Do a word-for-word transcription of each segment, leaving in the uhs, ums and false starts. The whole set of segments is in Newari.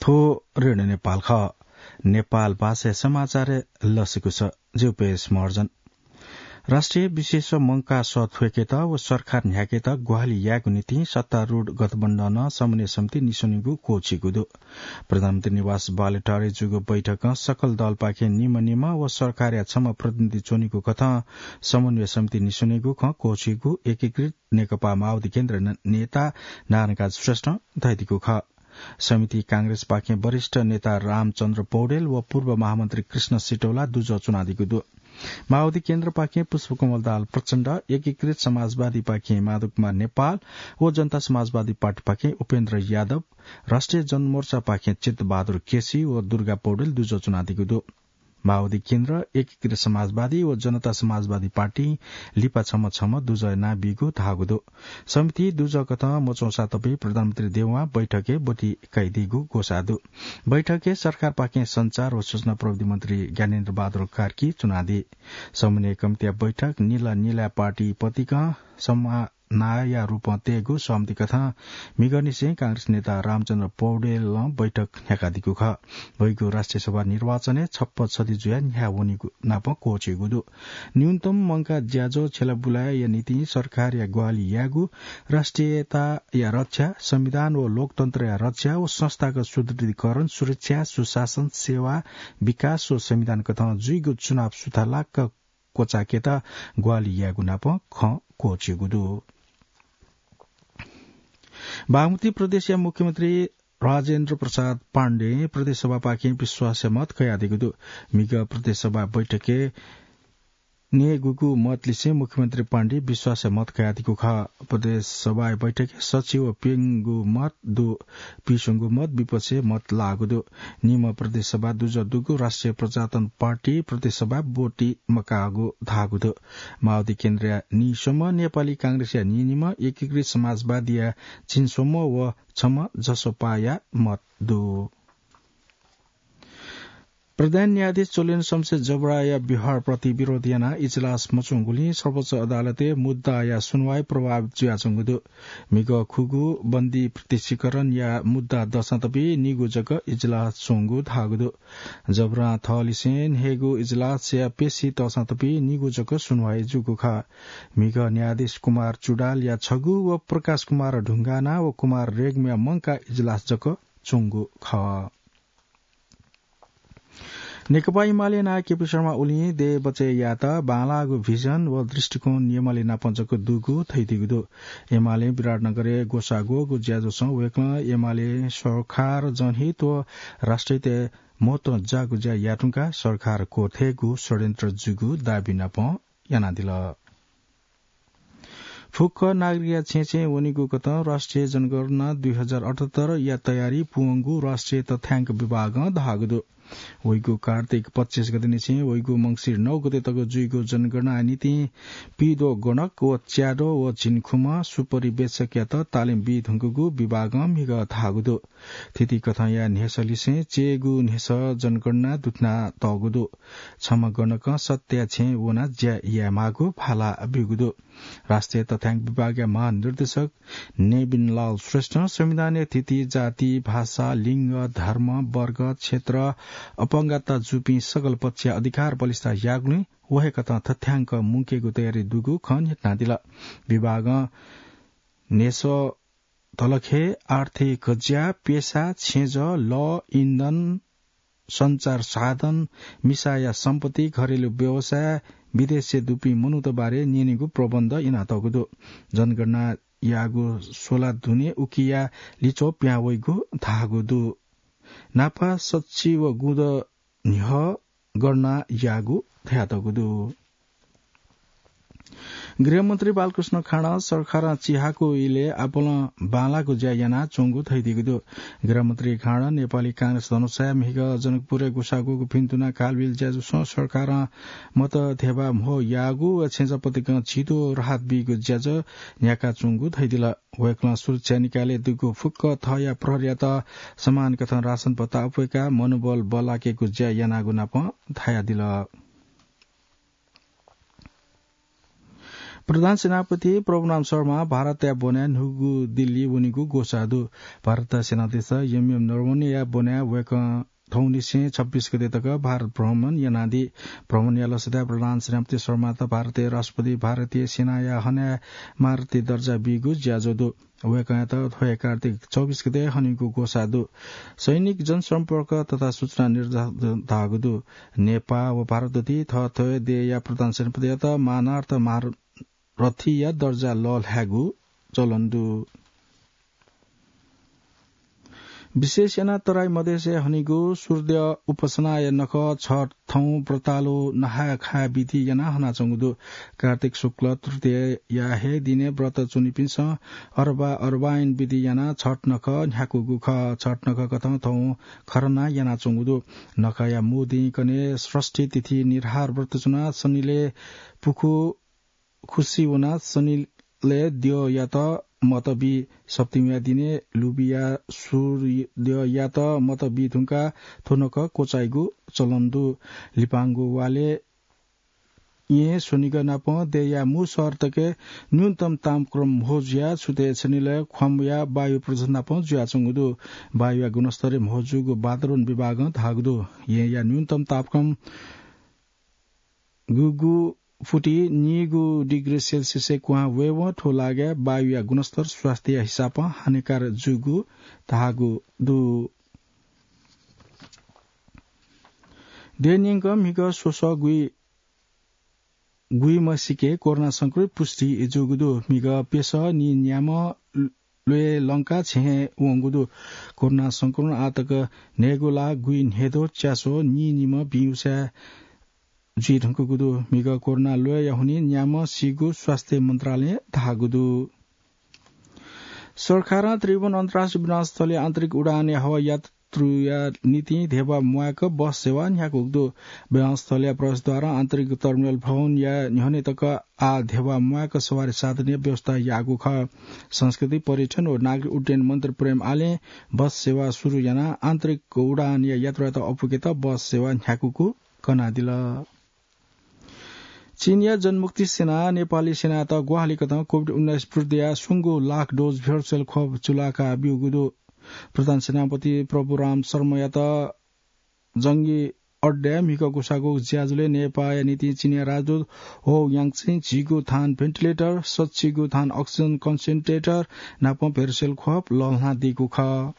ओ रेडियो नेपाल खः। नेपाल भाषा समाचार लसिकुस। ज्यू पेश महर्जन। राष्ट्रिय विशेष मंकाः सः थ्वय्केत व सरकार न्ह्याकेत ग्वाहालि यायेगु निंतिं सत्तारूढ गठबन्धनं समन्वय समिति निस्वनेगु क्वःछिगु दु। प्रधानमन्त्री निवास बालुवाटारय् जूगु बैठकं सकल दलपाखें निम्ह निम्ह व सरकारया छम्ह प्रतिनिधि च्वनीगु कथं समन्वय समिति निस्वनेगु खँ क्वःछिगु एकीकृत नेकपा माओवादी केन्द्र न-, नेता नारायणकाजी श्रेष्ठं धयादीगु खः। समिति कांग्रेसपाखें वरिष्ठ नेता रामचन्द्र पौडेल व पूर्व महामन्त्री कृष्ण सिटौला दुजः च्वनादीगु दु। माओवादी केन्द्रपाखें पुष्पकमल दाहाल प्रचण्ड, एकीकृत समाजवादीपाखें माधव कुमार नेपाल व जनता समाजवादी पार्टीपाखें उपेन्द्र यादव, राष्ट्रिय जनमोर्चापाखें चित्तबहादुर केसी व दुर्गा पौडेल दुजः च्वनादीगु दु। माओवादी केन्द्र, एकीकृत समाजवादी व जनता समाजवादी पार्टी लिपा छम्ह छम्ह दुजः यानाबीगु धाःगु दु। समिति दुजः कथं मच्वंसा तबि प्रधानमन्त्री देवां बैठकय् ब्वति कयादीगु ग्वसाः दु। बैठकय् सरकारपाखें सञ्चार व सूचना प्रविधि मन्त्री ज्ञानेन्द्र बहादुर कार्की च्वनादी। समन्वय कमिटिया बैठक निला निला पार्टी पतिकं समा- नाया रूपं तयेगु सहमति कथं म्हिगःनिसें कांग्रेस नेता रामचन्द्र पौडेलं बैठक न्ह्याकादीगु खः। वइगु राष्ट्रिय सभा निर्वाचनय् छप्पा छधि जुयाः न्ह्याः वनीगु नापं क्वःछिगु दु। न्यूनतम मंकाः ज्याझ्वः छ्यलाबुलाया निंतिं सरकारया ग्वाहालि यायेगु, राष्ट्रियताया रक्षा, संविधान व लोकतन्त्रया रक्षा व संस्थागत सुदृढीकरण, सुरक्षा, सुशासन, सेवा, विकास व संविधान कथं जुइगु चुनाव सुथालाक क्वचायेकेत ग्वाहालि यायेगु नापं खँ क्वःछिगु दु। बागमती प्रदेशया मुख्यमन्त्री राजेन्द्र प्रसाद पाण्डें प्रदेश सभापाखें विश्वासया मत कयादीगु दु। म्हिगः प्रदेश सभा बैठकय् नयेगूगु मत लिसें मुख्यमन्त्री पाण्डे विश्वासया मत कयादीगु खः। प्रदेश सभाया बैठकय् सच्छि व प्यंगू मत दु, पिस्वंगू मत विपक्षय् मत लाःगु दु। निम्ह प्रदेश सभा दुजः दुगु राष्ट्रिय प्रजातन्त्र पार्टी प्रदेश सभा ब्वति मकाःगु धाःगु दु। माओवादी केन्द्रया नीस्वम्ह, नेपाली कांग्रेसया नीनिम्ह, एकीकृत समाजवादीया झिंस्वम्ह व छम्ह जसपाया मत दु। प्रधान न्यायाधीश चोलेन्द्र शमशेर जबराया व्यवहारप्रति विरोध यानाः इजलास मच्वंगुलिं सर्वोच्च अदालतय् मुद्दाया सुनवाई प्रभावित जुयाच्वंगु दु। म्हिगः खुगू बन्दी प्रत्यक्षीकरणया मुद्दा दःसां तबि निगू जक इजलास च्वंगु धाःगु दु। जबरां थःलिसें न्हय्गू इजलासया पेशी तःसां तबि निगू जक सुनवाई जूगु खः। म्हिगः न्यायाधीश कुमार चुडालया छगू व प्रकाश कुमार ढुङ्गाना व कुमार रेग्मीया मंकाः इजलास जक च्वंगु खः। नेकपा एमाले नायः केपी शर्मा ओलीं देय् बचय् यायेत बांलाःगु भिजन व दृष्टिकोण एमाले नाप जक दुगु धयादीगु दु। एमालें विराटनगरय् ग्वसाः ग्वःगु ज्याझ्वलय् वय्कलं एमाले सरकार जनहित व राष्ट्रहितय् महत्व जाःगु ज्या याये धुंकाः सरकार क्वथयेगु षड्यन्त्र जूगु दाबी नाप यानादिल। फुक्क नागरिकया छेँय् छेँय् वनीगु कथं राष्ट्रिय जनगणना दुई हजार अठहत्तरया तयारी पूवंगु राष्ट्रिय तथ्याङ्क विभागं धाःगु दु। वइगु कार्तिक पच्चिस गतेनिसें वइगु मंसिर नौ गते तक जुइगु जनगणनाया निंतिं पीद्वः गणक व च्याद्वः व झिंखुम्ह सुपरिवेक्षकयात तालिम बी धुंकूगु विभागं म्हिगः धाःगु दु। थीथी कथंया न्ह्यसःलिसें च्यय्गू न्ह्यसः जनगणना दुथ्यानातःगु दु। छम्ह गणकं सत्तया छेँय् वनाः ज्या यायेमाःगु भाला ब्यूगु दु। राष्ट्रिय तथ्याङ्क विभागया महानिर्देशक नेबिन लाल श्रेष्ठं संविधानय् थीथी जाति, भाषा, लिङ्ग, धर्म, वर्ग, क्षेत्र, अपंगता जूपिं सकल पक्षया अधिकार बलिष्ठ याःगुलिं व हे कथं तथ्याङ्क मुंकेगु तयारी दुगु खँ न्ह्यथनादिल। विभागं न्ह्यसः तलखे, आर्थिक ज्या, पेसा, छेँजः, लः, इन्धन, सञ्चार साधन, मिसाया सम्पत्ति, घरेलु व्यवसाय, विदेशय् दुपिं मनूत बारे न्यनेगु प्रबन्ध यानातःगु दु। जनगणना याःगु सोला दुने उकिया लिच्वः पिहां वइगु धाःगु दु। नापा सच्छि व गुँद न्ह्यः गणना याःगु धयातःगु दु। गृहमन्त्री बालकृष्ण खाँडं सरकारं चिहाकू इलय् आपालं बांलाःगु ज्या यानाच्वंगु धयादीगु दु। गृहमन्त्री खाँडं नेपाली कांग्रेस धनुषाया म्हिगः जनकपुरय् ग्वसाः ग्वःगु भिन्तुना कालबिल ज्याझ्वलय् सरकारं मत धेबा म्हो याःगु व छेँजःपतिकं झिद्वः राहत बीगु ज्याझ्वः न्ह्याकाच्वंगु धयादिल। वय्कलं सुरक्षा निकायलय् दुगु फुक्क थःया प्रहरीयात समान कथं रासन भत्ता अप्वय्काः मनोबल बल्लाकेगु ज्या यानागु नाप धयादिल। प्रधान सेनापति प्रभुराम शर्मा भारतया ब्वनाय् न्हूगु दिल्ली वनीगु ग्वसाः दु। भारतया सेनाध्यक्ष एमएम नरवणेया ब्वनाय् वय्कः थौंनिसें छब्बीस गते तक भारत भ्रमण यानादी। भ्रमणया लसताय् प्रधान सेनापति शर्मात भारतया राष्ट्रपति भारतीय सेनाया हनाय् महारथी दर्जा बीगु ज्याझ्वः दु। वय्कःयात थ्व हे कार्तिक चौबिस गते हनीगु ग्वसाः दु। सैनिक, जनसम्पर्क तथा सूचना निर्देशालय धाःगु दु। नेपाः व भारतदूतति थःथःया देय्या प्रधान सेनापतियात मानार्थ महारथीया दर्जा लःल्हायेगु चलन दु। विशेष यानाः तराई मधेसय् हनीगु सूर्य उपासनाया नखः छठ थौं व्रतालु नहाय् खाय् विधि यानाः हनाच्वंगु दु। कार्तिक शुक्ल तृतीयाया हे दिने व्रत च्वनीपिन्सं अरबा अरबाइन विधि यानाः छठ नखः न्ह्याकूगु खः। छठ नखः कथं थौं खरना यानाच्वंगु दु। नखःया मू दिं कन्हय् षष्ठी तिथि निराहार व्रत च्वनाः शनिलय् पुखू खुसी वनाः शनिलय् द्यःयात मत बी। सप्तमीया दिने लुबिया सूर्ययात मत बी धुंकाः थ्व नखः क्वचाइगु चलन दु। लिपांगु वालय् यें स्वनिगः नाप देय्या मू शहर तक न्यूनतम तापक्रम म्हो जुयाः छुतय् शनिलय् ख्वाम्बुया वायु प्रदूषण नाप जुयाच्वंगु दु। वायुया गुणस्तर म्हो जूगु वातावरण विभागं धाःगु दु। येंया न्यूनतम तापक्रम गुगु फुति नीगु डिग्री सेल्सियसय् क्वहां वयेवं थ्व लागाय् वायुया गुणस्तर स्वास्थ्यया हिसाबं हानिकारक जूगु धाःगु दु। देय् न्यंक म्हिगः स्वसः गुइ गुइम्ह सिके कोरोना संक्रमित पुष्टि जूगु दु। म्हिगः प्यसः नीन्याम्ह ल्वय् लंकाः छेँ हे वंगु दु। कोरोना संक्रमण आः तक न्हय्गू लाख गुइन्हय्द्वः च्यास्वः नीनिम्ह बिउँसाय् जुइ धुंकूगु दु। म्हिगः कोरोना ल्वय्या हुनिं न्याम्ह सीगु स्वास्थ्य मन्त्रालयं धाःगु दु। सरकारं त्रिभुवन अन्तर्राष्ट्रिय विमानस्थलय् आन्तरिक उडानया हवाई यात्रुया निंतिं धेबा म्वायेक बस सेवा न्ह्याकूगु दु। विमानस्थलया प्रवेशद्वारं आन्तरिक टर्मिनल भवनया न्ह्यःने तक आः धेबा म्वायेक सवारी साधनया व्यवस्था याःगु खः। संस्कृति, पर्यटन व नागरिक उड्डयन मन्त्री प्रेम आलें बस सेवा सुरु यानाः आन्तरिक उडानया यात्रुयात अःपुकेत बस सेवा न्ह्याकूगु कनादिल। चीनया जनमुक्ति सेनां नेपाली सेनायात ग्वाहालि कथं कोभिड उन्नाइस विरुद्धया स्वंगू लाख डोज भेर्चुअल खोप चूलाका ब्यूगु दु। प्रधान सेनापति प्रभुराम शर्मायात जंगी अड्डाय् म्हिगः ग्वसाःगु ज्याझ्वलय् नेपाःया निंतिं चीनया राजदूत हो याङचिं झिगू थान भेन्टिलेटर, सच्चिगू थान अक्सिजन कन्सेन्ट्रेटर नाप भेर्चुअल खोप लःल्हानादीगु खः।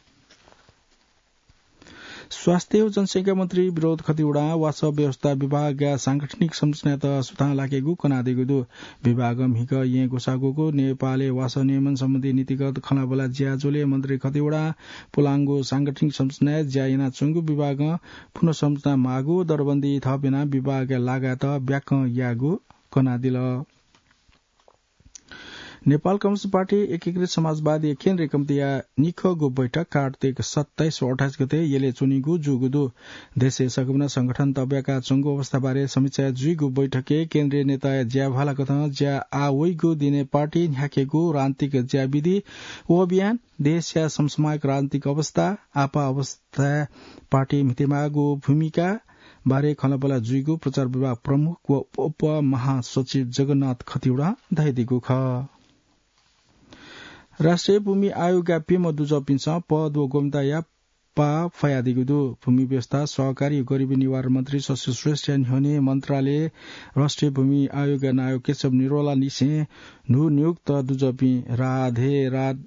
स्वास्थ्य व जनसंख्या मन्त्री विनोद खतिवडां वासः व्यवस्था विभागया सांगठनिक संरचनायात सुथां लाकेगु कनादीगु दु। विभागं म्हिगः येँ ग्वसाःगु नेपालय् वासः नियमन सम्बन्धी नीतिगत खँल्हाबल्हा ज्याझ्वलय् मन्त्री खतिवडां पुलांगु सांगठनिक संरचनाय् ज्या यानाच्वंगु विभागं पुनर्संरचना माःगु दरबन्दी थप यानाः विभागया लागाय्त ब्याकं याःगु कनादिल। नेपाल कम्युनिस्ट पार्टी एकीकृत समाजवादी केन्द्रीय कमिटीया निखःगु बैठक कार्तिक सत्ताइस व अट्ठाइस गते यलय् च्वनीगु जूगु दु। देशय् सकमिनं संगठन तब्याकाच्वंगु अवस्थाबारे समीक्षा जुइगु बैठकय् केन्द्रीय नेताया ज्याभाला कथं ज्या आः वइगु दिने पार्टी न्ह्याकेगु राजनीतिक ज्याविधि व अभियान, देशया समसामयिक राजनीतिक अवस्था, आपाः अवस्थाय् पार्टी म्हितेमाःगु भूमिका बारे खँल्हाबल्हा जुइगु प्रचार विभाग प्रमुख व उपमहासचिव जगन्नाथ खतिवडां धयादीगु खः। राष्ट्रिय भूमि आयोगया प्यम्ह दुजःपिन्सं पद व गोपनीयताया पाः फयादीगु दु। भूमि व्यवस्था, सहकारी व गरिबी निवारण मन्त्री शशि श्रेष्ठया न्ह्यःने मन्त्रालय राष्ट्रिय भूमि आयोगया नायः केशव निरौला लिसें न्हू नियुक्त दुजःपिं राधे राज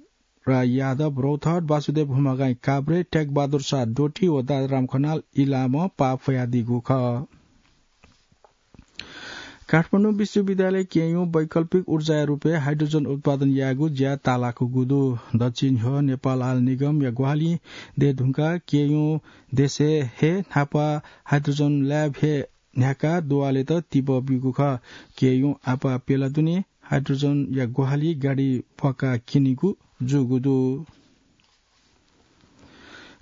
राय यादव रौतहट, वासुदेव हुमागाईं काभ्रे, ट्यागबहादुर शाह डोटी व दादाराम खनाल इलामं पाः फयादीगु खः। काठमाडौं विश्वविद्यालय केयूं वैकल्पिक ऊर्जाया रूपय् हाइड्रोजन उत्पादन यायेगु ज्या ताःलाकूगु दु। दच्छि न्ह्यः नेपाल आयल निगमया ग्वाहालिं दये धुंकाः केयूं देशय् हे न्हापा हाइड्रोजन ल्याब हे न्ह्याकाः दुवालेत तिबः ब्यूगु खः। केयूं आपाः प्यला दुने हाइड्रोजनया ग्वाहालि गाडी प्वाकाः क्यनीगु जूगु दु।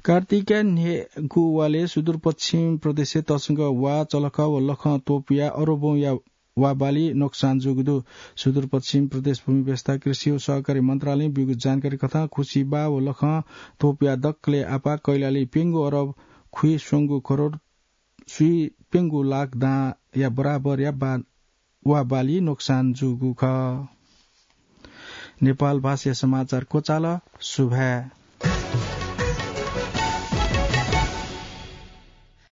कार्तिकया न्हय्गू वालय् सुदूरपश्चिम प्रदेशय् तसकं वा, चलख व लखं त्वपुयाः अरबौंया वा बाली नोक्सान जूगु दु। सुदूरपश्चिम प्रदेश भूमि व्यवस्था, कृषि व सहकारी मन्त्रालयं ब्यूगु जानकारी कथं खुसिबा व लखं त्वपुयाः दकलय् आपाः कैलाली प्यंगू अरब खुइस्वंगू करोड स्वीप्यंगू लाख दांया बराबरया वा वा बाली नोक्सान जूगु खः। नेपाल भाषाया समाचार क्वचाल। सुभाय्।